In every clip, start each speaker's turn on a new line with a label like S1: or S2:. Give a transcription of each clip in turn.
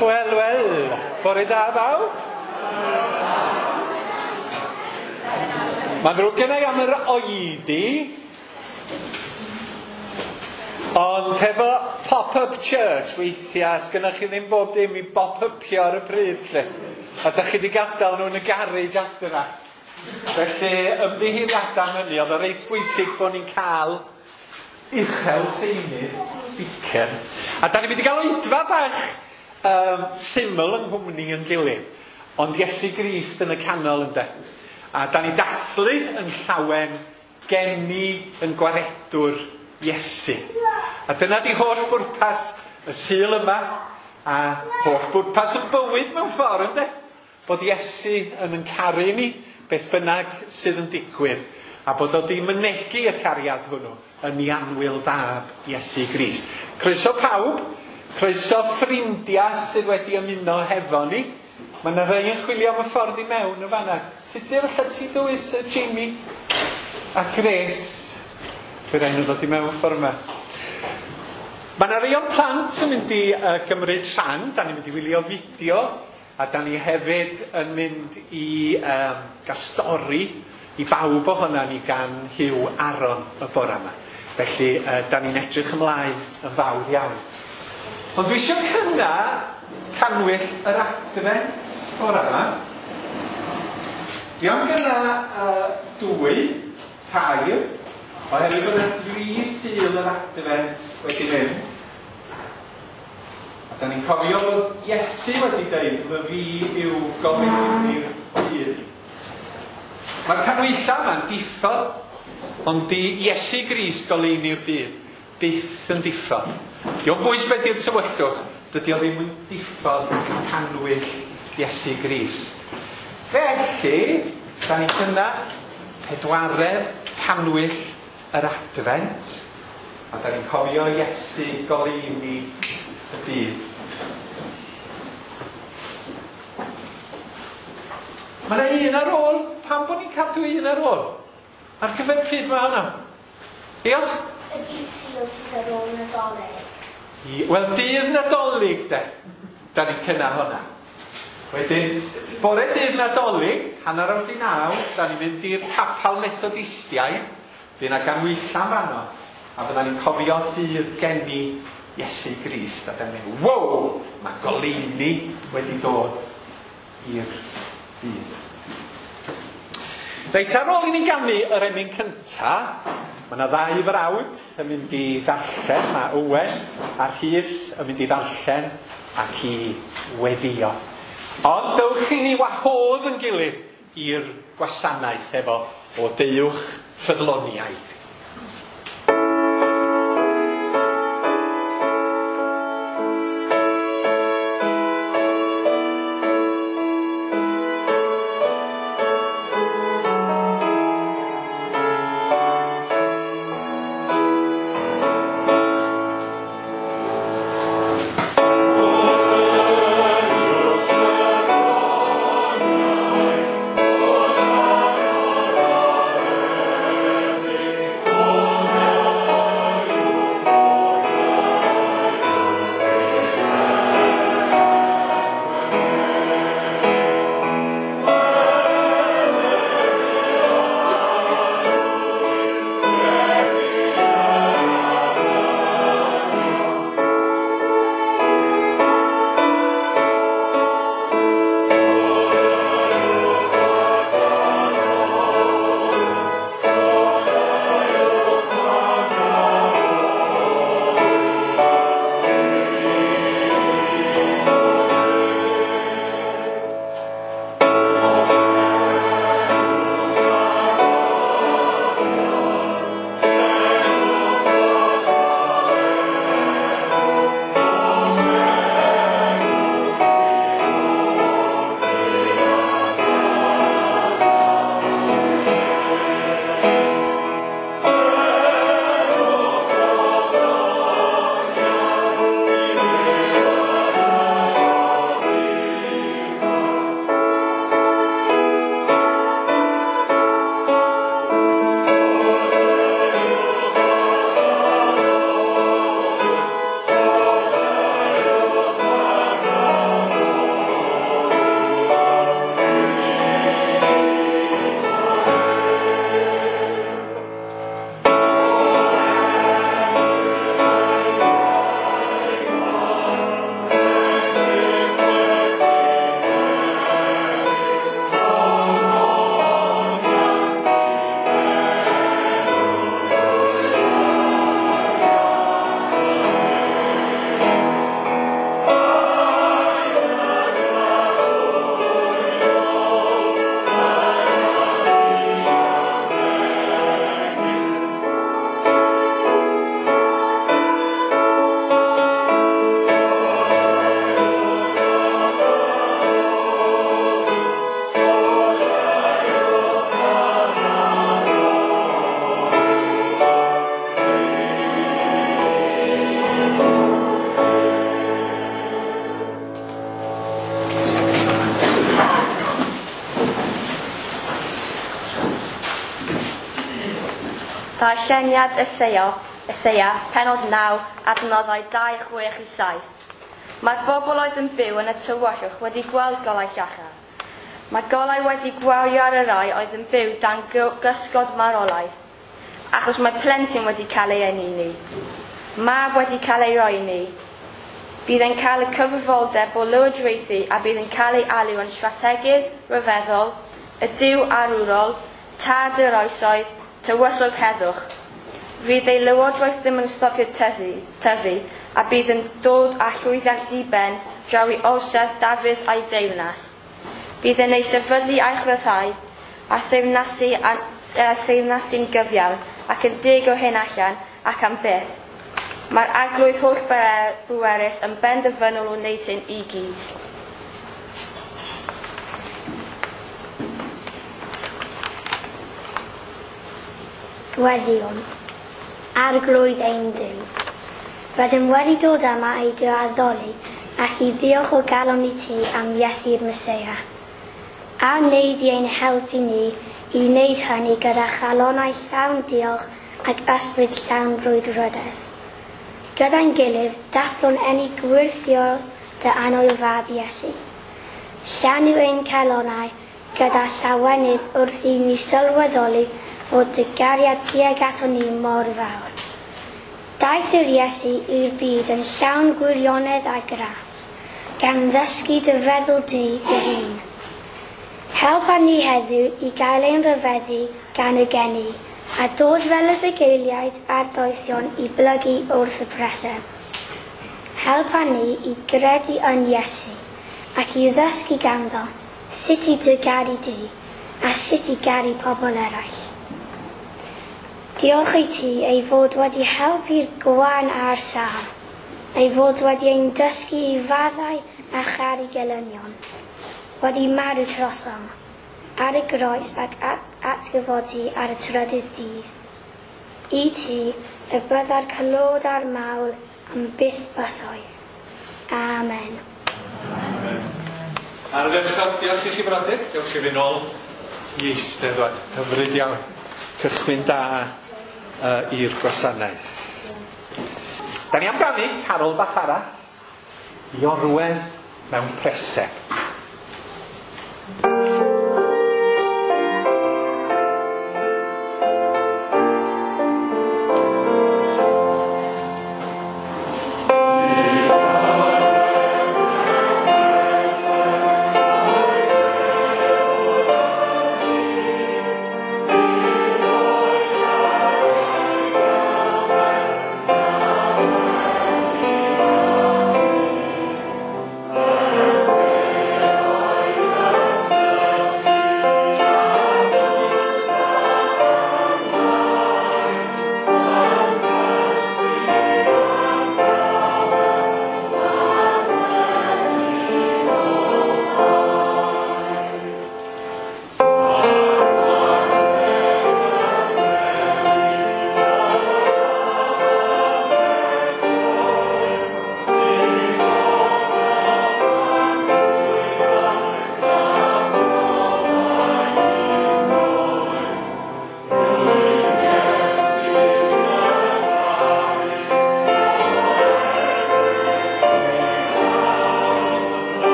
S1: Wel, wel, bore da bawb. Mae'n ddrwg genna i am yr oedi, ond hefo pop-up church weithiau, sgynnach chi ddim bob dim i bop-upio ar y pryd, lle. A da chi wedi gadael nhw yn y garej adra. Felly, ymddiheuriadau am hynny, oedd o reit bwysig bod ni'n cael uchel seinydd speaker. A da ni'n mynd i gael oedfa bach syml yng nghwmni yn gilydd, ond Iesu Grist yn y canol ynde. A da ni dathlu yn llawen geni yn gwaredwr Iesu. A dyna di holl bwrpas y Sul yma, a holl bwrpas y bywyd mewn ffordd ynde. Bod Iesu yn caru ni, beth bynnag sydd yn digwydd, a bod o di mynegi y cariad hwnnw yn ei annwyl fab Iesu Grist. Croeso pawb, croeso ffrindiau sydd wedi ymuno hefo ni. Mae yna rhai yn chwilio am y ffordd i mewn yn fanna. Tudur, alla ti dywys Jamie a Grace. Fe rai nhw ddod i mewn ffordd yma. Mae yna rai o'r plant yn mynd i gymryd rhan. Da ni'n mynd i wylio fideo, a da ni hefyd yn mynd i gael stori i bawb ohona ni gan Huw Aaron y bore yma. Felly, da ni'n edrych ymlaen yn fawr iawn. Ond dwi eisiau cynna canwyll yr Adfent bore yma. Dwi am gynna 2, 3, oherwydd bod yna 3 Sul yr Adfent wedi mynd. A da ni'n cofio bod Iesu wedi dweud, "My fi yw goleuni'r byd." Mae'r canwylla yma'n diffodd, ond di Iesu Grist goleuni'r byd byth yn diffodd. Dio'm bwys be di'r tywyllwch, dydy o ddim yn diffodd canwyll Iesu Grist. Felly, da ni'n cynna 4 canwyll yr Adfent, a da ni'n cofio Iesu goleuni y byd. Mae yna un ar ôl. Pam bod ni'n cadw un ar ôl? Ar gyfer pryd mae hwnna? Eos?
S2: Y dydd Sul sydd ar ôl Nadolig.
S1: Wel, dydd Nadolig de. Da ni'n cynna hwnna. Wedyn, bore dydd Nadolig, 9:30, da ni'n mynd i'r capal Methodistiaid. Fydd yna ganhwyllau fanno. A fydda ni'n cofio dydd geni Iesu Grist. A da ni'n mynd, wow, mae goleuni wedi dod i'r byd. Reit, ar ôl i ni ganu yr emyn cynta, mae yna 2 frawd yn mynd i ddarllen, mae Owen a Rhys yn mynd i ddarllen ac i weddio. Ond dewch i ni wahodd yn gilydd i'r gwasanaeth efo o Deuwch Ffyddloniaid.
S3: Amen. Darlleniad Eseia, pennod 9, adnoddau 2, 6 i 7. Mae'r bobl oedd yn byw yn y tywyllwch wedi gweld golau llachar. Mae golau wedi gwawrio ar y rai oedd yn byw dan gysgod marwolaeth, achos mae plentyn wedi cael ei eni i ni. Mab wedi cael ei roi i ni. Bydd yn cael y cyfrifoldeb o lywodraethu a bydd yn cael ei alw yn strategydd rhyfeddol, y Duw arwrol, tad yr oesoedd, tywysog heddwch. Fydd ei lywodraeth ddim yn stopio tyfu, a bydd yn dod â llwyddiant diben draw i orsedd Dafydd a'i deyrnas. Bydd yn ei sefydlu a'i chryfhau, a theyrnasu'n gyfiawn, ac yn deg o hyn allan, ac am byth. Mae'r arglwydd holl bwerus yn benderfynol o wneud hyn i gyd.
S2: Gweddïwn, Arglwydd ein Duw. Rydym wedi dod yma i dy addoli ac i ddiolch o galon i ti am Iesu'r Meseia. A wneud i ein helpu ni i wneud hynny gyda chalonnau llawn diolch ac ysbryd llawn brwdfrydedd. Gyda'n gilydd, dathlwn eni gwyrthiol dy annwyl fab Iesu. Llanw ein calonnau gyda llawenydd wrth i ni sylweddoli fod dy gariad tuag aton ni mor fawr. Daeth yr Iesu i'r byd yn llawn gwirionedd a gras, gan ddysgu dy feddwl di dy hun. Helpa ni heddiw i gael ein rhyfeddu gan y geni, a dod fel y bugeiliaid a'r doethion i blygu wrth y preseb. Helpa ni i gredu yn Iesu, ac i ddysgu ganddo sut i dy garu di, a sut i garu pobl eraill. Diolch i ti ei fod wedi helpu'r gwan a'r sâl, ei fod wedi ein dysgu i faddau a charu gelynion, wedi marw trosom, ar y groes ac atgyfodi ar y trydydd dydd. I ti y bydda'r clod a'r mawl am byth bythoedd. Amen.
S1: Amen. Ardderchog, diolch i chi brodyr. Diolch i fi nôl i eistedd rwan. Hyfryd iawn. Cychwyn da i'r gwasanaeth. Da ni am ganu carol bach arall i orwedd mewn preseb.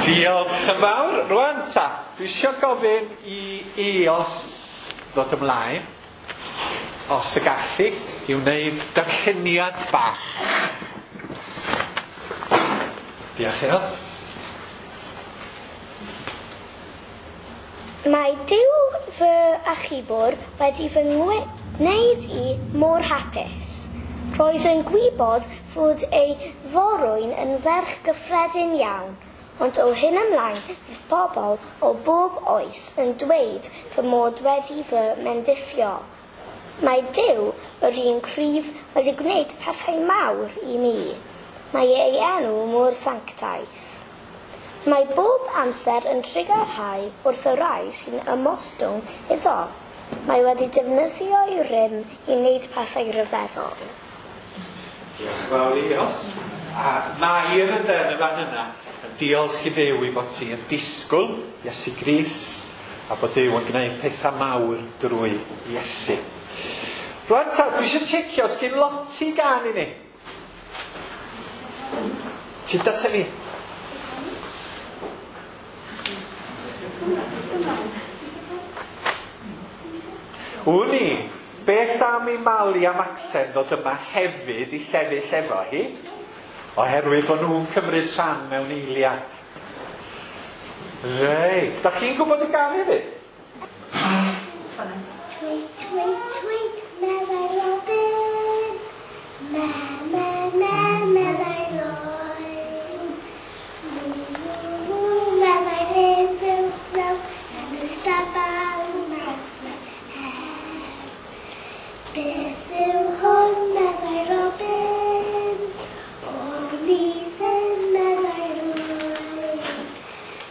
S1: Diolch yn fawr. Rwan ta, dwi eisiau gofyn i Eos ddod ymlaen, os y gallu, i wneud darlleniad bach. Diolch, Eos.
S2: Mae Duw fy achubwr wedi fy ngwneud i mor hapus. Roedd yn gwybod fod ei forwyn yn ferch gyffredin iawn, ond o hyn ymlaen fydd pobl o bob oes yn dweud fy mod wedi fy mendithio. Mae Duw, yr un cryf, wedi gwneud pethau mawr i mi. Mae ei enw mor sanctaidd. Mae bob amser yn trugarhau wrth y rhai sy'n ymostwng iddo. Mae wedi defnyddio'i rym i wneud pethau rhyfeddol.
S1: Diolch yn fawr Eos. A Mair ynde yn y fan yna yn diolch i Dduw i fod ti yn disgwyl Iesu Grist a bod Duw yn gwneud pethau mawr drwy Iesu. Rwan ta, dwi eisiau checio os gen Loti gan i ni. Ti data fi? Wn i, beth am i Mali a Maxen ddod yma hefyd i sefyll efo hi? Oherwydd bod nhw'n cymryd rhan mewn eiliad. Reit, da chi'n gwybod y gan hefyd?
S2: Tweet, tweet, tweet, meddai Robin. Me, me, me, meddai Roy. Mw, mw, mw, meddai hen fuwch mew yn y stabal mew, mew, her. Beth yw hwn, meddai Robin. O'r ddim, meddai Roy.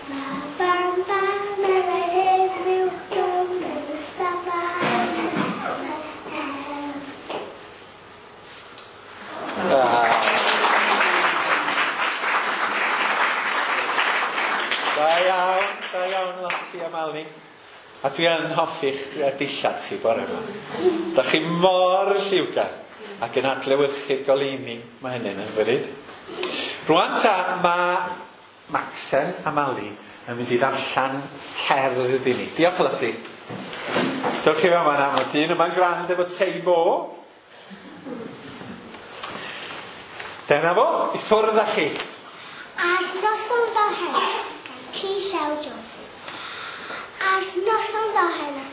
S2: Ba, bam, ba, meddai hen fuwch mew yn y stabal mew, mew, her.
S1: Da iawn Loti a Mali. A dwi yn hoffi'ch dillad chi bore yma. Da chi mor lliwgar ac yn adlewyrchu'r goleuni mae hynny'n hyfryd. Rwan ta, mae Maxen a Mali yn mynd i ddarllen cerdd iddi ni. Diolch Loti. Dewch chi fama na, mae dyn yma'n grand efo tei bo. Dyna fo, i ffwrdd â chi.
S2: Ar noson fel heno, gan T. Llew Jones. Ar noson fel heno,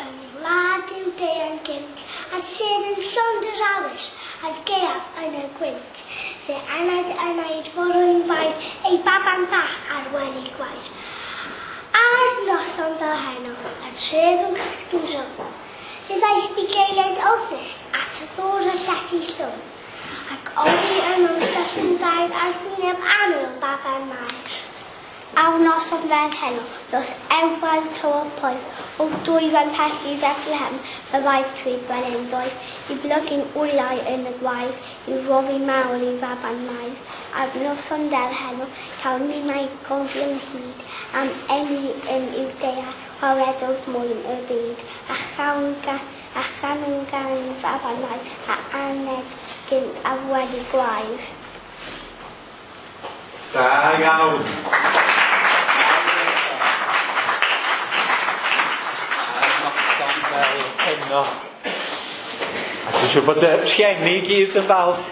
S2: yn wlad yw deian gynt, a'r sedd yn llond yr awyr, a'r gaeaf yn y gwynt. Fe anaid anaid forwyn fair, ei baban bach ar wely gwair. Ar noson fel heno, a'r tref yn cysgu'n drwm. Fe ddaeth bugeiliaid ofnus at y ddôr y llety llwm, ac oddi yno'n syrthio'n dair ar wyneb annwyl baban Mair. Ar noson fel heno, dros efail tywod poeth, o dwyfan pell i Bethlehem, y ddaeth trwy brenin ddoeth, i blygu'n wylau yn y gwaith, i roddi mawl i faban Mair. Ar noson fel heno, cawn ninnau gofio'n hyd, am eni yn Iwdea, gwaredodd mwyn y byd, a chawn gan faban Mair, a aned gynt ar wely gwair.
S1: Da iawn. Ar noson fel heno. A dwi'n siŵr bod y rhieni i gyd yn falch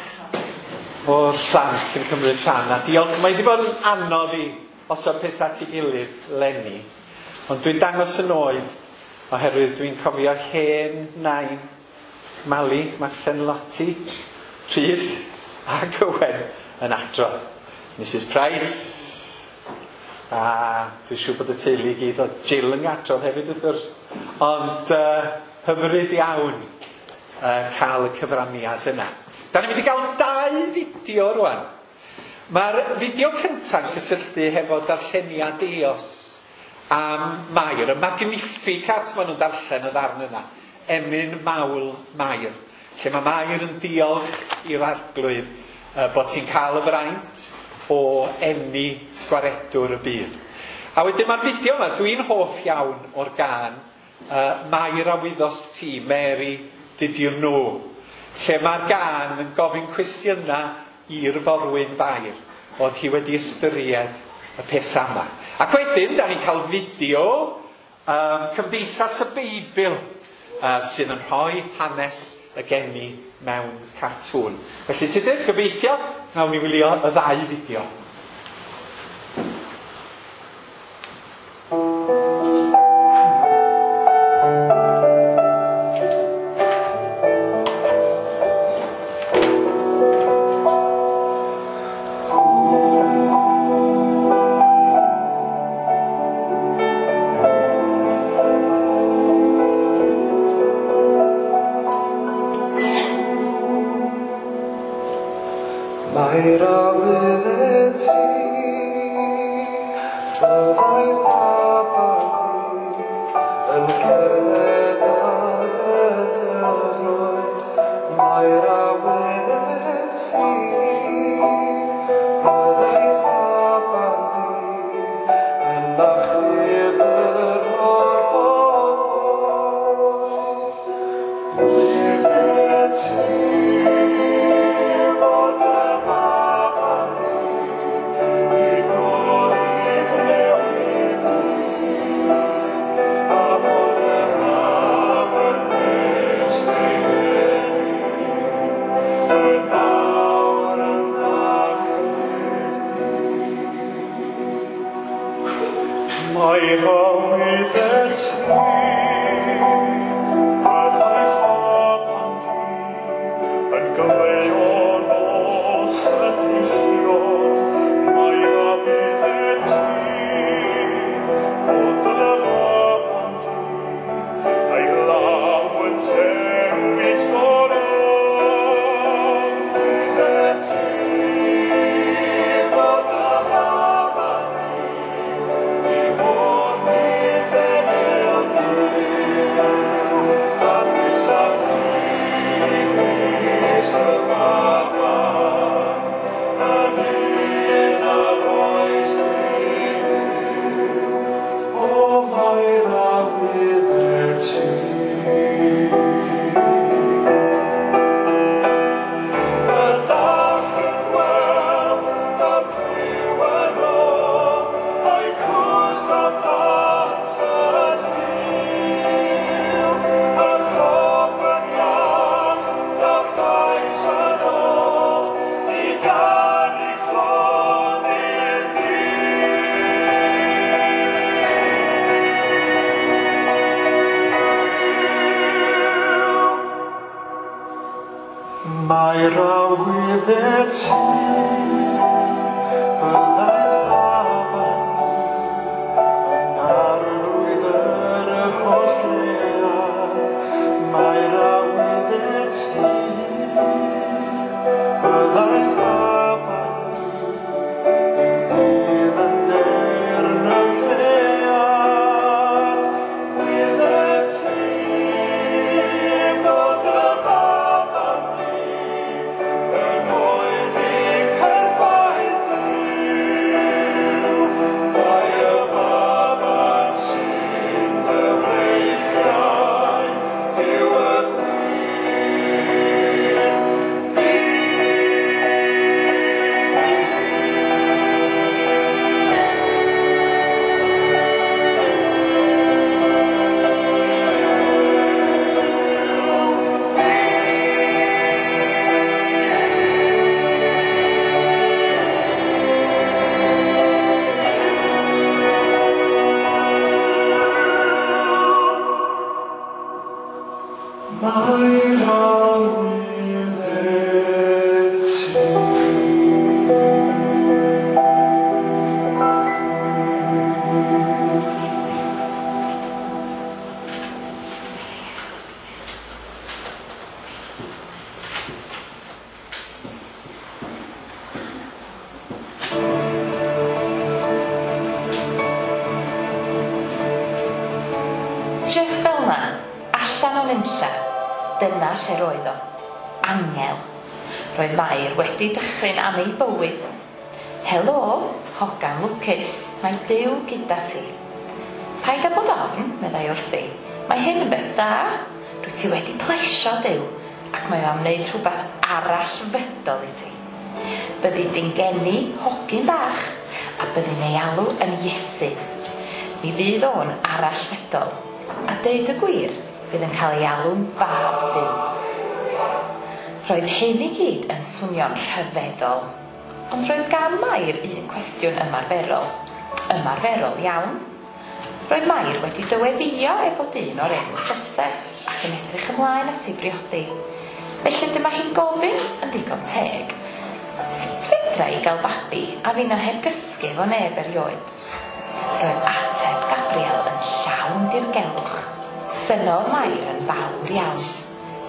S1: o'r plant sy'n cymryd rhan. A diolch, mae wedi bod yn anodd i osod pethau at ei gilydd leni. Ond dwi'n dangos yn oed oherwydd dwi'n cofio hen nain Mali, Maxen Loti, Rhys ac Owen yn adrodd. Mrs Price, a dwi'n siŵr bod y teulu i gyd o Jill yn adrodd hefyd wrth gwrs. Ond hyfryd iawn cael y cyfraniad yna. Da ni'n mynd i gael dau fideo rwan. Mae'r fideo cynta'n cysylltu hefo darlleniad Eos am Mair, y Magnificat maen nhw'n darllen y ddarn yna. Emyn Mawl Mair, lle mae Mair yn diolch i'r Arglwydd bod hi'n cael y fraint o eni gwaredwr y byd. A wedyn mae'r fideo yma, dwi'n hoff iawn o'r gân Mair a wyddost ti, Mary, did you know? Lle mae'r gân yn gofyn cwestiynau i'r forwyn Fair, oedd hi wedi ystyried y peth yma. Ac wedyn, da ni'n cael fideo Cymdeithas y Beibl sydd yn rhoi hanes y geni mewn cartŵn. Felly Tudur, gobeithio, nawn ni wylio y ddau fideo.
S4: Mae'r awydd ti, byddai baban di yn cerdded ar y dyfroedd. Mae'r awydd ti, byddai baban di yn achub yr holl bobl. Wyddet ti fod y baban di i golydd newid i, a bod y mab yn nes ei geni, yn awr yn achub di. Mae'r awydd ti, byddai baban di yn goleuo nos y peillio. Mae'r awydd ti, fod y baban di a'i law yn dewis goron. Wyddet ti fod y baban di i fod i ddefnyddio Duw, a thwysaf Crist y baban, yn un a roes i Dduw. O, mae'r awydd ti. Y dall yn gweld, y clyw yn ôl, a'i cwst a plant yn fyw. Y corff yn iach, y llais yn ôl, i ganu clod i'r Duw. Mae'r awydd ti, byddai'r baban di yn arglwydd yr holl gread. Mae'r awydd ti, byddai'r baban di yn dydd yn deyrn y cread. Wyddet ti fod y baban di yn oedi perffaith Dduw. Mae y baban sy'n dy freichiau yw y gwir Mae'r awydd ti.
S5: Jyst fel 'na, allan o nunlla, dyna lle roedd o. Angel. Roedd Mair wedi dychryn am ei bywyd. Helo, hogan lwcus, mae Duw gyda ti. Paid â bod ofn, meddai wrthi. Mae hyn yn beth da. Dwyt ti wedi plesio Duw, ac mae o am wneud rhywbeth arall fydol i ti. Byddi di'n geni hogyn bach, a byddi'n ei alw yn Iesu. Mi fydd o'n arall fydol, a deud y gwir, fydd yn cael ei alw'n fab Duw. Roedd hyn i gyd yn swnio'n rhyfeddol, ond roedd gan Mair un cwestiwn ymarferol. Ymarferol iawn. Roedd Mair wedi dyweddïo efo dyn o'r enw Joseph ac yn edrych ymlaen at ei briodi. Felly dyma hi'n gofyn yn ddigon teg, sut fedra i gael babi a finna heb gysgu efo neb erioed? Roedd ateb Gabriel yn llawn dirgelwch. Synnodd Mair yn fawr iawn.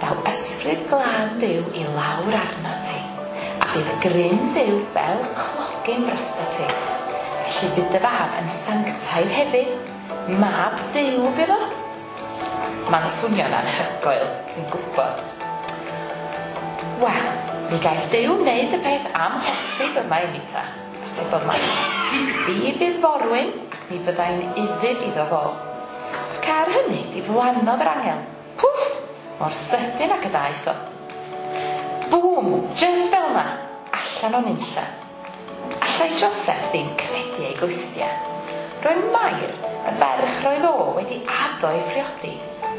S5: Daw ysbryd glân Duw i lawr arnat ti, a bydd grym Duw fel clogyn drostat ti. Felly bydd dy fab yn sanctaidd hefyd. Mab Duw bydd o. Mae'n swnio'n anhygoel, dwi'n gwybod. Wel, mi gaiff Duw wneud y peth amhosib yma i mi ta, atebodd Mair. Fi fydd forwyn ac mi fyddai'n ufudd iddo fo. Ac ar hynny diflannodd yr angel. Pwff! Mor sydyn ac y daeth o. Bŵm! Jyst fel 'na! Allan o nunlla. Allai Joseph ddim credu ei glustiau. Roedd Mair, y ferch roedd o wedi addo ei phriodi,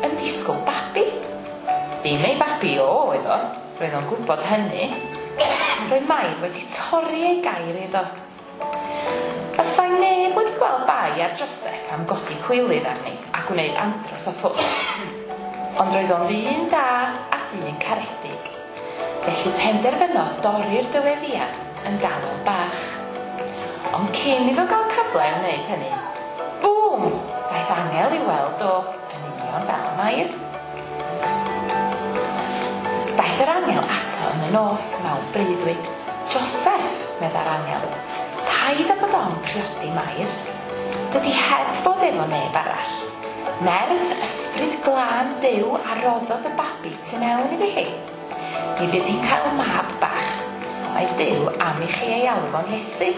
S5: yn disgwyl babi. Dim ei babi o oedd o, roedd o'n gwybod hynny. Roedd Mair wedi torri ei gair iddo. Fasai neb wedi gweld bai ar Joseph am godi cwilydd arni a gwneud andros o ffws. Ond roedd o'n ddyn da a dyn caredig. Felly penderfynodd dorri'r dyweddïad yn dawel bach. Ond cyn iddo gael cyfle i wneud hynny, bŵm! Daeth angel i'w weld o yn union fel Mair. Daeth yr angel ato yn y nos mewn breuddwyd. Joseph, meddai'r angel, paid â bod ofn priodi Mair. Dydy heb fod efo neb arall. Nerth ysbryd glân Duw a roddodd y babi tu mewn iddi hi. Mi fydd hi'n cael mab bach. Mae Duw am i chi ei alw fo'n Iesu.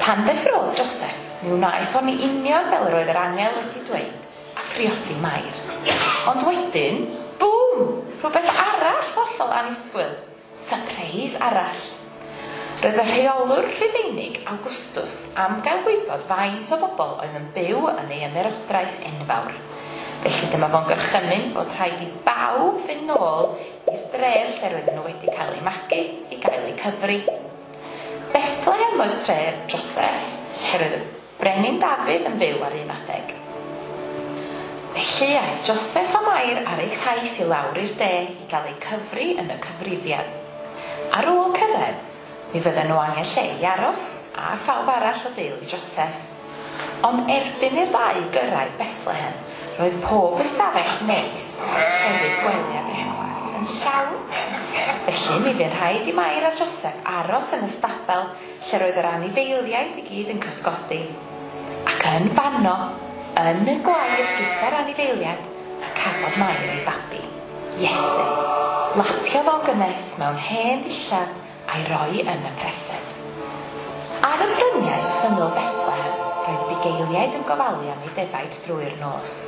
S5: Pan ddeffrodd Joseph, mi wnaeth o'n union fel yr oedd yr angel wedi dweud, a phriodi Mair. Ond wedyn, bŵm! Rhywbeth arall hollol annisgwyl. Sypreis arall. Roedd y rheolwr Rhufeinig Augustus am gael gwybod faint o bobl oedd yn byw yn ei ymerodraeth enfawr. Felly dyma fo'n gorchymyn bod rhaid i bawb fynd nôl i'r dref lle roedden nhw wedi cael eu magu i gael eu cyfri. Bethlehem oedd tref Joseph, lle roedd y brenin Dafydd yn byw ar un adeg. Felly aeth Joseph a Mair ar eu taith i lawr i'r de i gael eu cyfri yn y cyfrifiad. Ar ôl cyrraedd, mi fydden nhw angen lle i aros, a phawb arall o deulu Joseph. Ond erbyn i'r ddau gyrraedd Bethlehem, roedd pob ystafell neis, llefydd gwely a brecwast yn llawn. Felly mi fu'n rhaid i Mair a Joseph aros yn y stabel lle roedd yr anifeiliaid i gyd yn cysgodi. Ac yn fanno, yn y gwair gyda'r anifeiliaid, y cafodd Mair ei babi, Iesu. Lapiodd o'n gynnes mewn hen ddillad a'i roi yn y preseb. Ar y bryniau wrth ymyl Bethlehem, roedd bugeiliaid yn gofalu am eu defaid drwy'r nos.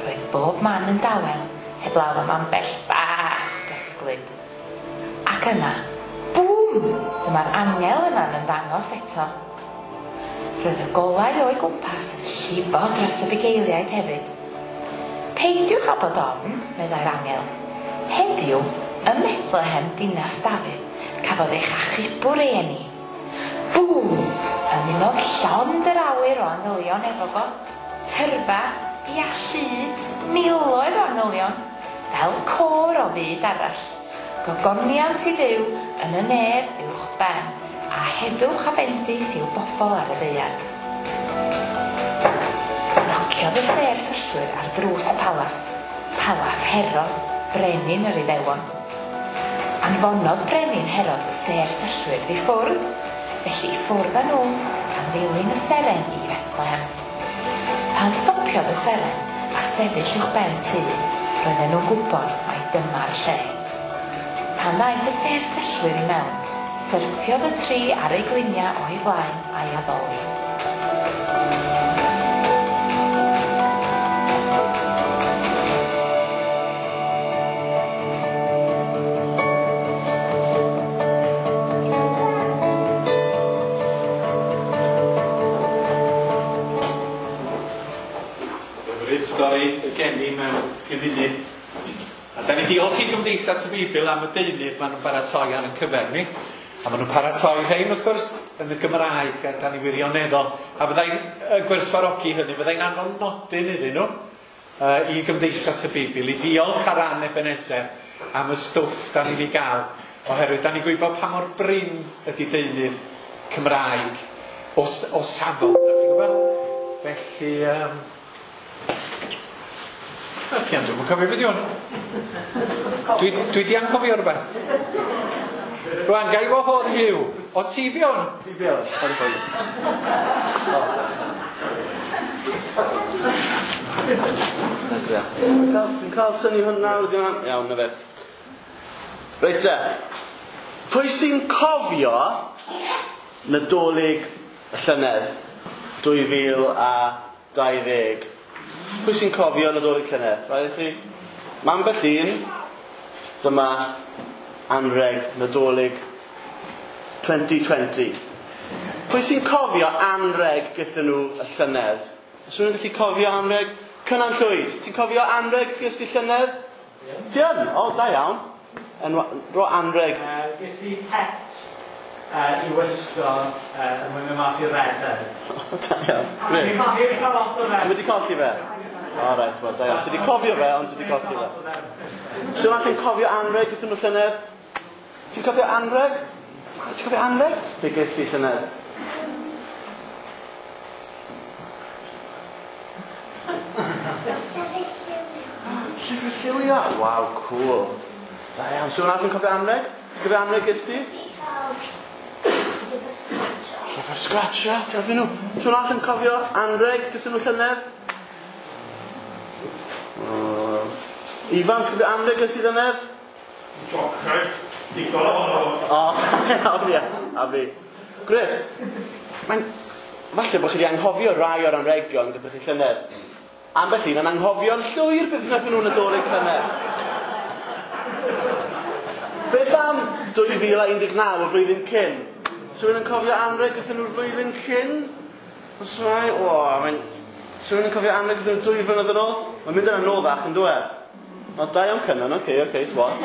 S5: Roedd bob man yn dawel, heblaw am ambell ba gysglyd. Ac yna, bŵm! Dyma'r angel yna'n ymddangos eto. Roedd y golau o'i gwmpas yn llifo dros y bugeiliaid hefyd. Peidiwch â bod ofn, meddai'r angel. Heddiw, ym Methlehem dinas Dafydd, cafodd eich achubwr ei eni. Bŵm! Ymunodd llond yr awyr o angylion efo fo. Tyrfa, ia llud, miloedd o angylion, fel côr o fyd arall. Gogoniant i Dduw yn y nef uwch ben, a heddwch a bendith i'w bobl ar y ddaear. Nociodd y sêr syllwyr ar ddrws y palas, palas Herod, brenin yr Iddewon. Anfonodd brenin Herod y sêr syllwyr i ffwrdd, felly i ffwrdd â nhw, gan ddilyn y seren i Fethlehem. Pan stopiodd y seren a sefyll uwchben tŷ, roedden nhw'n gwybod mai dyma'r lle. Pan ddaeth y sêr syllwyr i mewn, syrthiodd y tri ar eu gliniau o'i flaen a'i addoli.
S1: Hyfryd stori y geni mewn pum munud. A da ni diolch i Gymdeithas y Beibl am y deunydd maen nhw'n baratoi ar ein cyfer ni. A maen nhw'n paratoi rhein, wrth gwrs, yn y Gymraeg, a da ni wirioneddol. A fyddai'n gwerthfawrogi hynny, fyddai'n anfon nodyn iddyn nhw i Gymdeithas y Beibl, i ddiolch ar ran Ebenezer am y stwff da ni'n ei gael, oherwydd da ni'n gwybod pa mor brin ydy deunydd Cymraeg o safon, da chi'n gwybod? Felly, Fian, dwi'm yn cofio beth yw hwn. Dwi 'di anghofio rhywbeth. Rwan, gai wahodd Hugh. O ti fewn?
S6: Ti fewn, sorry for you. Fi'n cael tynnu hwn nawr, iawn, na fe. Reit te. Pwy sy'n cofio Nadolig y llynedd 2020? Pwy sy'n cofio Nadolig llynedd? Rhaid i chi? Mae ambell un, dyma anreg Nadolig 2020. Pwy sy'n cofio anreg gyda nhw y llynedd? Os yw'n gallu cofio anreg? Cynan Llwyd, ti'n cofio anreg ges i llynedd? Ti yn? O, da iawn. Ro anreg.
S7: Ges i het i wisgo yn mynd mas i redeg.
S6: Da iawn. Grêt.
S7: Fi wedi cael lot o fe.
S6: Ti wedi colli fe? O, reit, wel, da iawn. Ti wedi cofio fe, ond ti wedi colli fe. Sy'n allan cofio anreg gyda nhw llynedd? Ti'n cofio anreg? Ti'n cofio anreg? Be ges i llynedd? Llyfr lliwio. Waw, cool. Da iawn. Sy'n allan cofio anreg? Ti'n cofio anreg ges ti? Llyfr sgratio. Ti'n cofio nhw? Sy'n allan cofio anreg gyda nhw llynedd? Ifan, ti'n cofio anreg ges ti llynedd?
S4: Jocau. Digon ohono.
S6: O, iawn, ie. A fi. Grêt. Mae'n... Falle bod chi wedi anghofio rai o'r anregion gyda chi llynedd. Ambell un yn anghofio'n llwyr beth wnaethon nhw'n Nadolig llynedd. Beth am 2019, y flwyddyn cyn? Os rhywun yn cofio anreg gyda nhw'r flwyddyn cyn? Os rai, o, mae'n... Os rhywun yn cofio anreg gyda nhw 2 flynedd yn ôl? Mae'n mynd yn anoddach yn dwe. O, da iawn Cynan, oce, swat.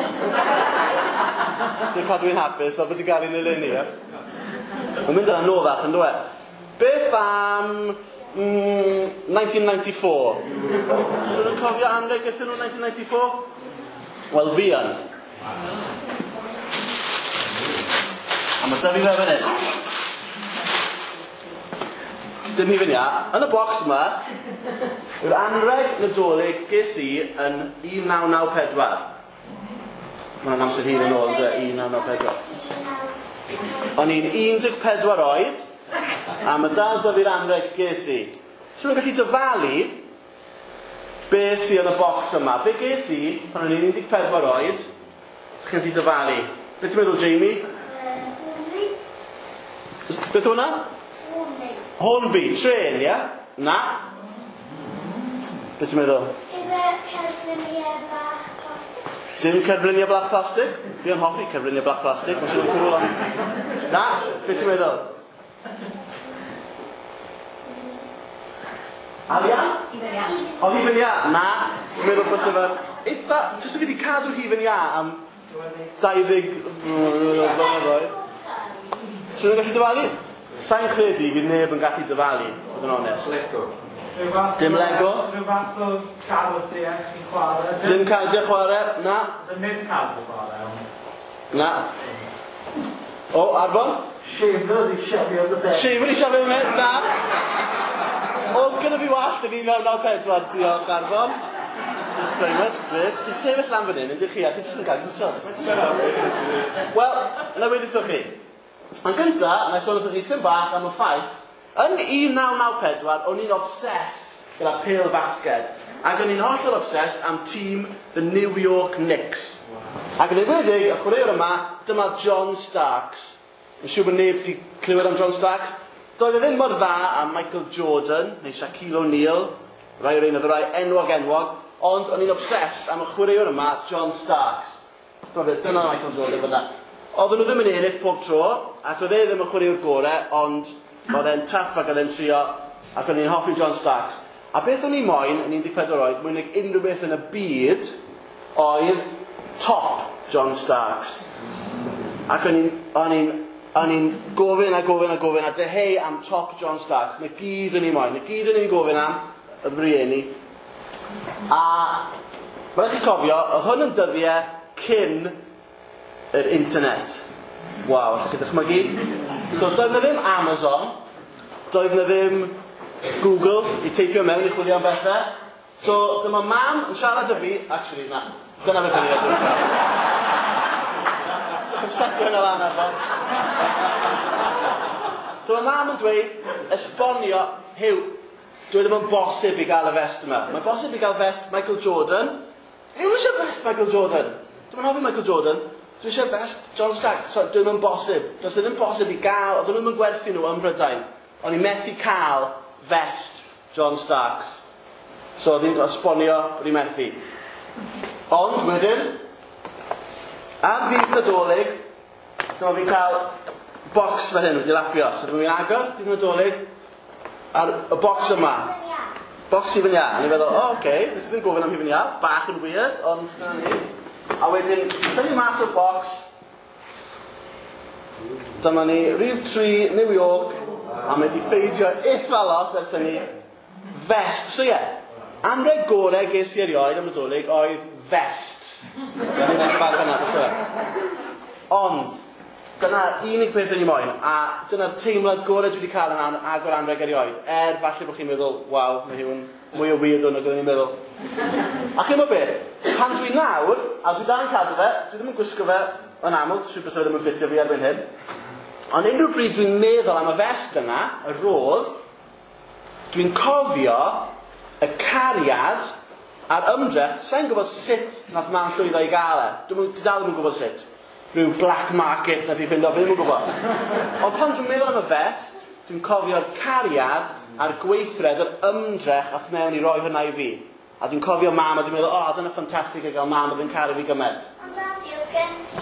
S6: Ti'n cadw i'n hapus fel bod ti'n gael un eleni, ie? Mae'n mynd yn anoddach yn dwe. Beth am 1994? So nhw'n cofio anreg gyda nhw 1994? Wel, fi yn. A mae da fi fe fan hyn. Dim hi fan ia. Yn y bocs yma, yw'r anreg Nadolig ges i yn 1994. Mae hwnna'n amser hir yn ôl, yndyw e? 1994. O'n i'n 14 oed, a mae dal da fi'r anreg ges i. So nhw'n gallu dyfalu be sy yn y bocs yma. Be ges i pan o'n i'n 14 oed, chi'n gallu dyfalu. Be ti'n meddwl, Jamie? Beth hwnna? Hornby, trên, ie? Na. Be ti'n meddwl?
S2: Ife cerfluniau bach plastig?
S6: Dim cerfluniau bach plastig? Fi yn hoffi cerfluniau bach plastig. Mae'n swnio'n cŵl ond... Na, be ti'n meddwl? Arian?
S5: Hufen iâ.
S6: O, hufen iâ? Na. Dwi'n meddwl bod fe... Eitha... Tysa fi wedi cadw hufen iâ am 20 blynyddoedd. Swn i'n gallu dyfalu? Sa'n credu fydd neb yn gallu dyfalu, fod yn onest.
S1: Lego.
S6: Dim Lego.
S7: Rhyw fath o cardiau chi'n chwarae.
S6: Dim cardiau chwarae, na.
S7: So nid cardiau chwarae, ond...
S6: Na. O, Arfon?
S8: Shaver i siafio dy ben.
S6: Shaver i siafio dy ben, na. Oedd gyda fi wallt yn 1994, diolch Arfon. Thanks very much, great. Chi'n sefyll lan fan hyn, ydych chi, a chi jyst yn cael insult. Wel, na wedi wrthych chi. Yn gynta, na i sôn wrthych chi tym bach am y ffaith, yn 1994, o'n i'n obsessed gyda pêl fasged. Ac o'n i'n hollol obsessed am tîm the New York Knicks. Ac yn enwedig, y chwaraewr yma, dyma John Starks. Yn siŵr bod neb wedi clywed am John Starks. Doedd e ddim mor dda am Michael Jordan, neu Shaquille O'Neal, rai o'r un oedd y rai enwog enwog, ond o'n i'n obsessed am y chwaraewr yma, John Starks. Dyna Michael Jordan fyna. Oedden nhw ddim yn ennill pob tro, ac oedd e ddim yn chwaraewr gorau, ond oedd e'n tough ac oedd e'n trio, ac o'n i'n hoffi John Starks. A beth o'n i moyn yn 14 oed, mwy nag unrhyw beth yn y byd, oedd top John Starks. Ac o'n i'n gofyn a gofyn a gofyn a dyheu am top John Starks. Na gyd o'n i moyn, na gyd o'n i'n gofyn am y rieni. A mae rhaid chi cofio, oedd hwn yn dyddiau cyn yr internet. Waw, allwch chi dychmygu? So doedd na ddim Amazon, doedd na ddim Google i teipio mewn i chwilio am bethau. So dyma mam yn siarad â fi, actually na, dyna beth o'n i'n edrych fel. Come setio hynna lan arno. So mae mam yn dweud, esbonio, Huw, dwi ddim yn bosib i gael y vest yma. Mae'n bosib i gael vest Michael Jordan. Ddim eisiau vest Michael Jordan. Dwi'n hoffi Michael Jordan. Dwi eisiau vest John Stark. So, dwi ddim yn bosib. Does e ddim bosib i gael, oedden nhw'n gwerthu nhw ym Mhrydain. O'n i methu cael vest John Starks. So, oedd hi'n esbonio bod i'n methu. Ond, wedyn, ar ddydd Nadolig, dyma fi'n cael bocs fel hyn wedi lapio. So dyma fi'n agor dydd Nadolig ar y bocs yma. Bocs hufen iâ. A ni'n meddwl, o, oh, oce, okay, nes i ddim gofyn am hufen iâ. Bach yn weird, ond dyna ni. A wedyn, tynnu mas o'r bocs. Dyma ni, rhif 3, New York, a mae wedi ffeidio eitha lot ers hynny. Vest. So ie, yeah, anreg gorau ges i erioed am Nadolig oedd vest. Dyna ni'n edrych ar hynna, fysa fe. Ond, dyna'r unig peth o'n i moyn, a dyna'r teimlad gorau dwi wedi cael yn agor anreg erioed. Falle bod chi'n meddwl, waw, mae hwn mwy o weird o'n oedden ni'n meddwl. A chi'n meddwl beth? Pan dwi nawr, a dwi dal yn cadw fe, dwi ddim yn gwisgo fe yn aml, siŵr bysa fe ddim yn ffitio fi erbyn hyn. Ond unrhyw bryd dwi'n meddwl am y vest yna, y rodd, dwi'n cofio y cariad a'r ymdrech. Sa'n gwybod sut nath mam llwyddo i gael e. Dwi'n dal ddim yn gwybod sut. Rhyw black market nath i ffindo, fi ddim yn gwybod. Ond pan dwi'n meddwl am y vest, dwi'n cofio'r cariad a'r gweithred, yr ymdrech ath mewn i roi hwnna i fi. A dwi'n cofio mam a dwi'n meddwl, o, oh, dyna ffantastig i gael mam oedd yn caru fi gymaint.
S2: Ond Dadi, oedd gen ti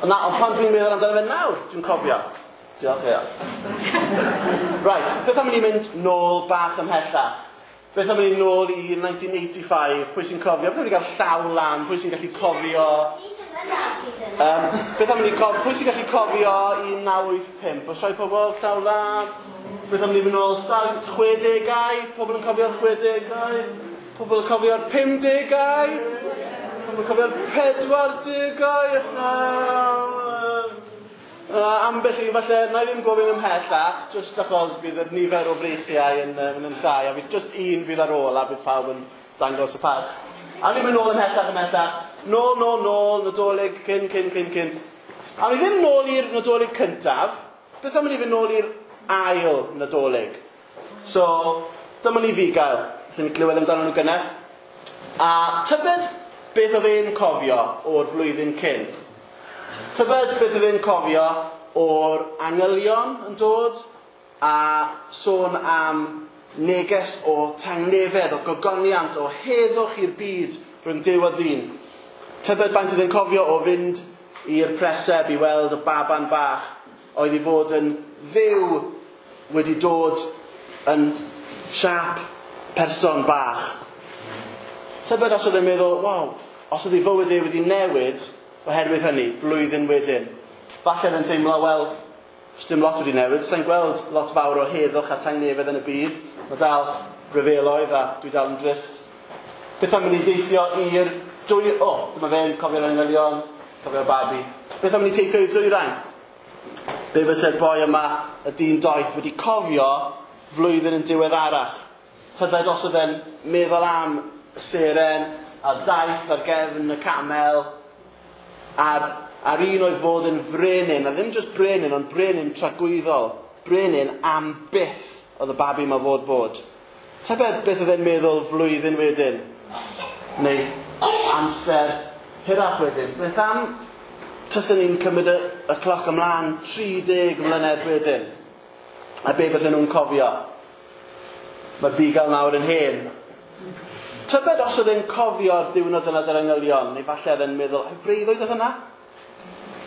S6: Na, ond pan dwi'n meddwl amdano fe nawr, dwi'n cofio. Diolch Eos. Right, beth am i ni mynd nôl bach ymhellach? Beth am i ni nôl i 1985? Pwy sy'n cofio? Beth am i ni gael llaw lan? Pwy sy'n gallu cofio? Beth am i ni cofio? Pwy sy'n gallu cofio 1985? Oes rhai pobl llaw lan? Beth am i ni mynd nôl 60au? Pobl yn cofio'r 60au? Pobl yn cofio'r 50au? Pobl yn cofio'r 40au? Os na... Ambell i, falle, na i ddim gofyn ymhellach, jyst achos bydd yr nifer o freichiau yn llai, a fydd jyst un fydd ar ôl, a bydd pawb yn dangos y parch. A ni'n mynd nôl ymhellach, nôl, nôl, Nadolig, cyn. A ni ddim nôl i'r Nadolig cyntaf, beth am ni fynd nôl i'r ail Nadolig? So, dyma ni fugail, wnaethon ni glywed amdano nhw gynne. A tybed beth oedd e'n cofio o'r flwyddyn cyn? Tybed beth oedd e'n cofio o'r angylion yn dod a sôn am neges o tangnefedd, o gogoniant, o heddwch i'r byd rhwng Duw a dyn. Tybed faint oedd e'n cofio o fynd i'r preseb i weld y baban bach oedd i fod yn Dduw wedi dod yn siâp person bach. Tybed os oedd e'n meddwl, waw, os oedd ei fywyd e wedi newid oherwydd hynny, blwyddyn wedyn. Falle oedd e'n teimlo, wel, dim lot wedi newid, sa'n gweld lot fawr o heddwch a tangnefedd yn y byd. Mae dal rhyfeloedd a dwi dal yn drist. Beth am i ni deithio i'r dwy... O, dyma fe'n cofio'r angylion, cofio'r babi. Beth am i ni teithio i'r dwyrain? Be fyse'r boi yma, y dyn doeth, wedi cofio flwyddyn yn diweddarach? Tybed os oedd e'n meddwl am y seren a daith ar gefn y camel, a'r un oedd fod yn frenin, a ddim jyst brenin, ond brenin tragwyddol, brenin am byth oedd y babi yma fod bod. Tybed beth oedd e'n meddwl flwyddyn wedyn, neu amser hirach wedyn. Beth am taswn ni'n cymryd y cloc ymlaen 30 mlynedd wedyn, a be bydden nhw'n cofio? Mae'r bugail nawr yn hen. Tybed os oedd e'n cofio'r diwrnod yna dy'r angylion, neu falle oedd e'n meddwl, ai freuddwyd oedd hynna?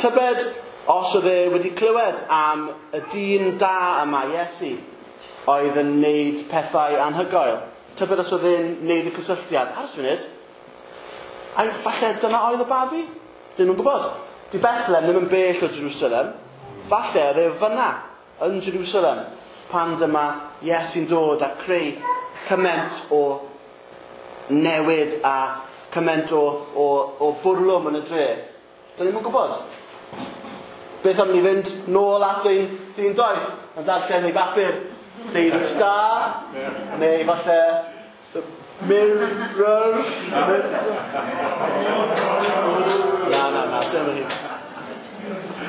S6: Tybed os oedd e wedi clywed am y dyn da yma, Iesu, oedd yn neud pethau anhygoel. Tybed os oedd e'n neud y cysylltiad. Aros funud, ai falle dyna oedd y babi? Dyn nhw'n gwybod. Di Bethlehem ddim yn bell o Jerusalem. Falle oedd e fyna yn Jerusalem pan dyma Iesu'n dod a creu cymaint o newid a cymaint o bwrlwm yn y dre. Dyn ni'm yn gwybod. Beth am ni fynd nôl at ein dyn doeth yn darllen ei bapur Daily Star, neu falle The Mirror. Na. Dyma ni.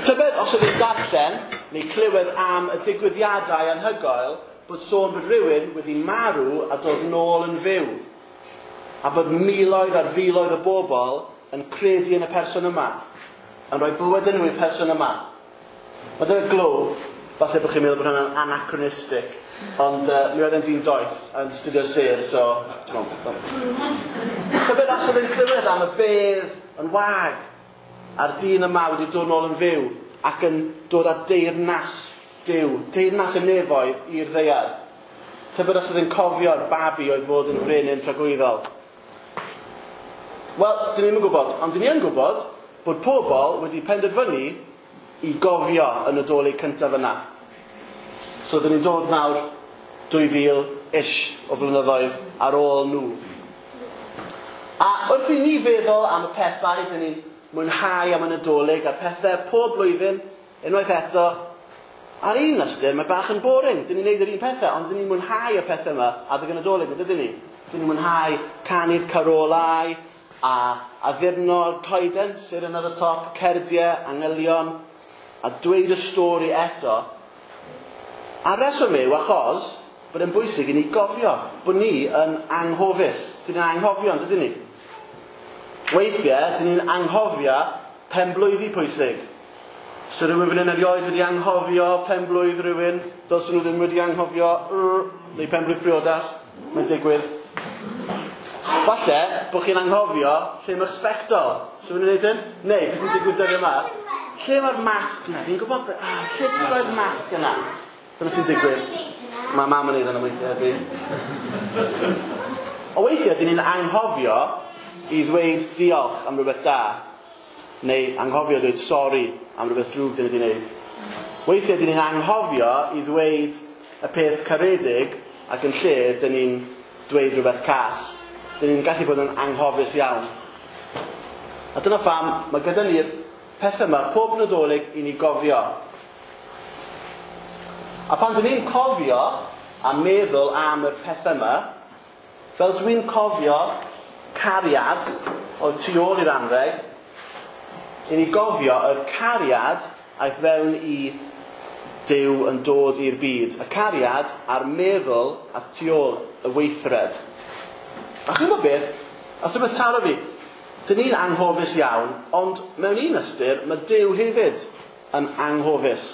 S6: Tybed os oedd e'n darllen neu clywed am y digwyddiadau anhygoel bod sôn bod rhywun wedi marw a dod nôl yn fyw. A bod miloedd ar filoedd o bobl yn credu yn y person yma. Yn rhoi bywyd yn nhw i'r person yma. Mae dyna glow, falle bod chi'n meddwl bod hwnna'n anachronistic, ond mi oedd e'n ddyn doeth yn astudio'r sêr, so... Tybed os oedd e'n clywed am y bedd yn wag, a'r dyn yma wedi dod nôl yn fyw ac yn dod â deyrnas Duw, deyrnas y nefoedd i'r ddaear. Tybed os oedd e'n cofio'r babi oedd fod yn frenin tragwyddol. Wel, dyn ni ddim yn gwybod, ond dyn ni yn gwybod bod pobl wedi penderfynu i gofio y Nadolig cyntaf yna. So dyn ni'n dod nawr 2000-ish o flynyddoedd ar ôl nhw. A wrth i ni feddwl am y pethau dyn ni'n mwynhau am y Nadolig a'r pethau pob blwyddyn, unwaith eto, ar un ystyr mae bach yn boring. Dyn ni'n neud yr un pethau, ond dyn ni'n mwynhau y pethau yma adeg y Nadolig, yn dydyn ni? Dyn ni'n mwynhau canu'r carolau a addurno'r coeden, seren ar y top, cerdiau, angylion, a dweud y stori eto. A'r reswm yw achos bod e'n bwysig i ni gofio bod ni yn anghofus. Dyn ni'n anghofio, yn dydyn ni? Weithiau, dyn ni'n anghofio penblwyddi pwysig. So rhywun fan hyn erioed wedi anghofio penblwydd rhywun, dylsyn nhw ddim wedi anghofio, neu penblwydd priodas, mae'n digwydd. Falle bod chi'n anghofio lle mae'ch sbectol. So rhywun yn gwneud hyn? Neu, beth sy'n digwydd dyddiau yma? Lle mae'r masg yna? Fi'n gwybod, lle dwi'n rhoi'r masg yna? Dyna sy'n digwydd. Mae mam yn neud hynna weithiau, ydy. O weithiau, dyn ni'n anghofio i ddweud diolch am rhywbeth da, neu anghofio dweud sori am rhywbeth drwg dyn ni wedi wneud. Weithiau, dyn ni'n anghofio i ddweud y peth caredig ac yn lle dyn ni'n dweud rhywbeth cas. Dyn ni'n gallu bod yn anghofus iawn. A dyna pham mae gyda ni'r pethau yma pob Nadolig i ni gofio. A pan dyn ni'n cofio a meddwl am y pethau yma, fel dwi'n cofio cariad oedd tu ôl i'r anrheg, i ni gofio yr cariad aeth fewn i Duw yn dod i'r byd. Y cariad a'r meddwl aeth tu ôl y weithred. A chi'n gwybod beth? Ath rhywbeth taro fi. Dyn ni'n anghofus iawn, ond mewn un ystyr, mae Duw hefyd yn anghofus.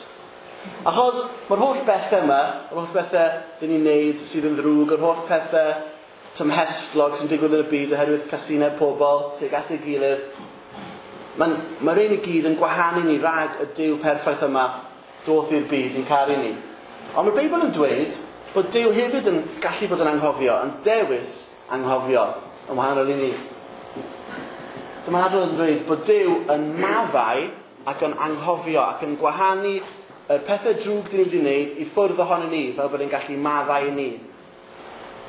S6: Achos mae'r holl bethau yma, yr holl bethau dyn ni'n neud sydd yn ddrwg, yr holl pethau tymhestlog sy'n digwydd yn y byd oherwydd casineb pobl tuag at ei gilydd, mae'r un i gyd yn gwahanu ni rhag y Duw perffaith yma doth i'r byd i'n caru ni. Ond mae'r Beibl yn dweud bod Duw hefyd yn gallu bod yn anghofio, yn dewis anghofio, yn wahanol i ni. Dyma'r adrodd yn dweud bod Duw yn maddau ac yn anghofio ac yn gwahanu y pethau drwg dyn ni wedi wneud i ffwrdd ohono ni, fel bod e'n gallu maddau i ni.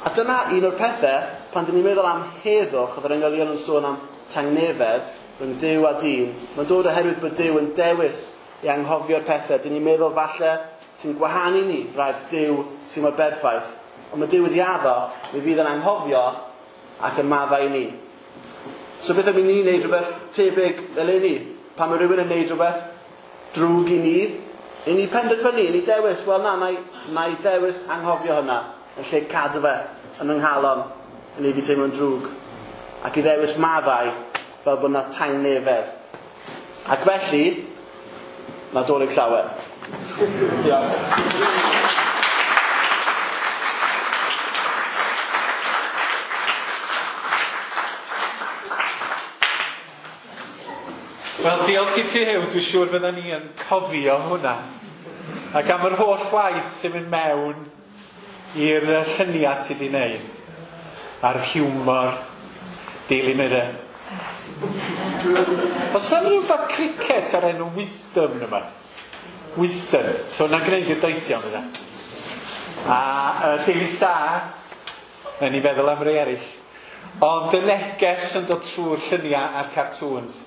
S6: A dyna un o'r pethau, pan dyn ni'n meddwl am heddwch, oedd yr angylion yn sôn am tangnefedd rhwng Duw a dyn, mae'n dod oherwydd bod Duw yn dewis i anghofio'r pethau. Dyn ni'n meddwl falle sy'n gwahanu ni rhag Duw sy'n mor berffaith. Ond mae Duw wedi addo, mi fydd yn anghofio ac yn maddau i ni. So beth am i ni wneud rhywbeth tebyg eleni? Pan mae rhywun yn wneud rhywbeth drwg i ni penderfynu, i ni dewis, wel na, na i dewis anghofio hynna, yn lle cadw fe yn yng nghalon, yn ei fi teimlo'n drwg. Ac i ddewis maddau fel bod yna tangnefedd. Ac felly, Nadolig llawer. Diolch.
S1: Wel, diolch i ti Huw, dwi'n siŵr fydda ni yn cofio hwnna. Ac am yr holl waith sy'n mynd mewn i'r lluniau ti wedi wneud. A'r hiwmor, Daily Mirror. Oes yna rhywbeth cricket ar enw Wisdom neu beth? Wisdom. So yna'n gwneud y doethion yna. A Daily Star, na ni feddwl am rei eraill. Ond y neges yn dod trwy'r lluniau a'r cartoons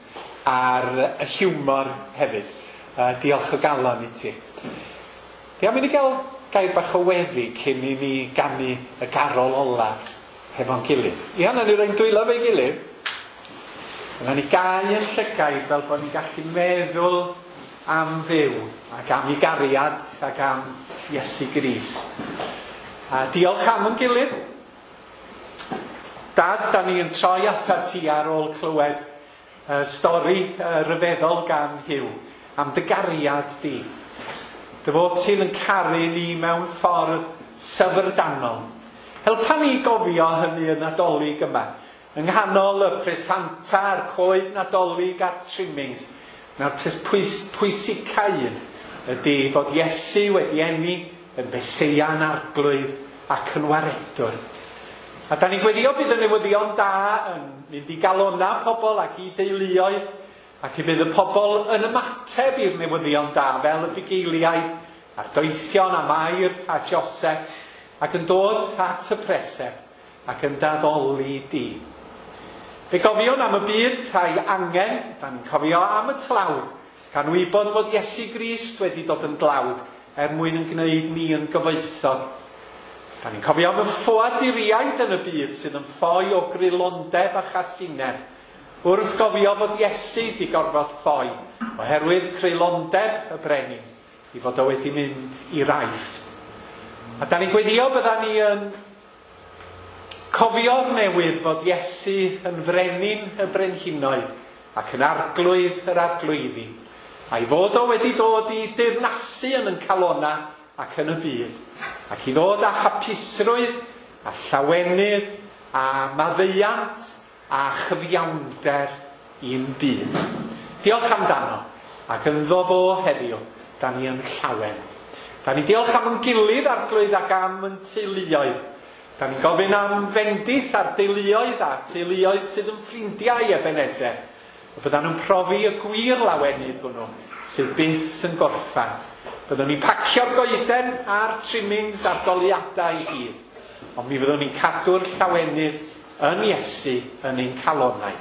S1: a'r hiwmor hefyd. Diolch o galon i ti. Ia, mynd i gael gair bach o weddi cyn i ni ganu y garol ola hefo'n gilydd. Ia, na ni roi'n dwylo fe'i gilydd. Yna ni gau yn llygaid fel bod ni'n gallu meddwl am Dduw ac am ei gariad ac am Iesu Grist. A diolch am yn gilydd. Dad, da ni yn troi atat ti ar ôl clywed stori ryfeddol gan Huw am dy gariad di. Dy fod ti'n yn caru ni mewn ffordd syfrdanol. Helpa ni gofio hynny yn Nadolig yma. Yng nghanol y presanta a'r coed Nadolig a'r trimmings, na'r pwysica un ydy fod Iesu wedi eni yn Feseia'n Arglwydd ac yn Waredwr. A da ni'n gweddio bydd y newyddion da yn mynd i galona pobl ac i deuluoedd, ac i bydd y pobl yn ymateb i'r newyddion da fel y bugeiliaid a'r doethion a Mair a Joseph, ac yn dod at y preseb ac yn daddoli di. Fe gofiwn am y byd a'i angen, da ni'n cofio am y tlawd, gan wybod fod Iesu Grist wedi dod yn dlawd er mwyn yn gwneud ni yn gyfoethog. Da ni'n cofio am y ffoaduriaid yn y byd sydd yn ffoi o greulondeb a chasineb, wrth gofio fod Iesu di gorfod ffoi oherwydd creulondeb y brenin, i fod o wedi mynd i'r Aifft. A da ni'n gweddio bydda ni yn cofio'r newydd fod Iesu yn frenin y brenhinoedd ac yn arglwydd yr arglwyddi, a'i fod o wedi dod i deyrnasu yn yn calona ac yn y byd, ac i ddod â hapusrwydd a llawenydd a maddeuant a chyfiawnder i'n byd. Diolch amdano, ac ynddo fo heddiw, da ni yn llawen. Da ni diolch am yn gilydd arglwydd ac am yn teuluoedd. Da ni'n gofyn am fendith ar deuluoedd a teuluoedd sydd yn ffrindiau i Ebenezer. Y byddan nhw'n profi y gwir lawenydd hwnnw sydd byth yn gorffan. Byddwn ni'n pacio'r goeden a'r trimmings a'r goleuadau i gyd. Ond mi fyddwn ni'n cadw'r llawenydd yn Iesu yn ein calonnau.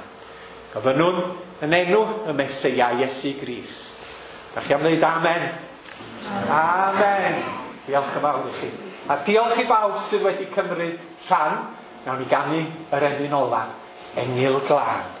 S1: Gofynnwn yn enw y Meseia Iesu Grist. Da chi am ddweud amen? Amen. Diolch yn fawr i chi. A diolch i bawb sydd wedi cymryd rhan. Nawn ni ganu yr emyn ola, Engyl Glân.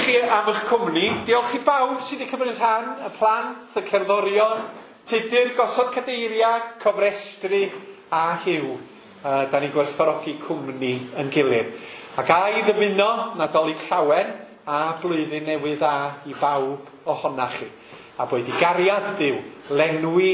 S1: Diolch i chi am eich cwmni. Diolch i bawb sydd wedi cymryd rhan, y plant, y cerddorion, Tudur, gosod cadeiriau, cofrestru a Huw. Da ni'n gwerthfawrogi cwmni yn gilydd. Ac a i ddymuno Nadolig Llawen a blwyddyn newydd dda i bawb ohonach chi. A boed i gariad Duw lenwi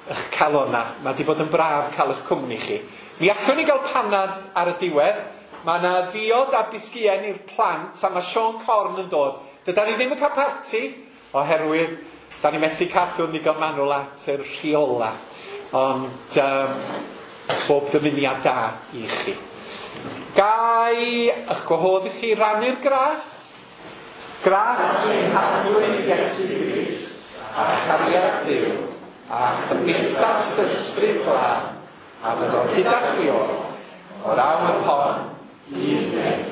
S1: eich calona. Mae wedi bod yn braf cael eich cwmni chi. Mi allwn ni gael panad ar y diwedd. Mae yna ddiod a bisgïen i'r plant a mae Siôn Corn yn dod. Dydan ni ddim yn cael parti oherwydd da ni methu cadw'n ddigon manwl at yr rheola. Ond bob dymuniad da i chi. Gai eich gwahodd i chi rannu'r gras? Gras ein Harglwydd Iesu Grist a chariad Duw a chymdeithas yr Ysbryd Glân a fyddo gyda chwi oll o'r awr hon hyd byth.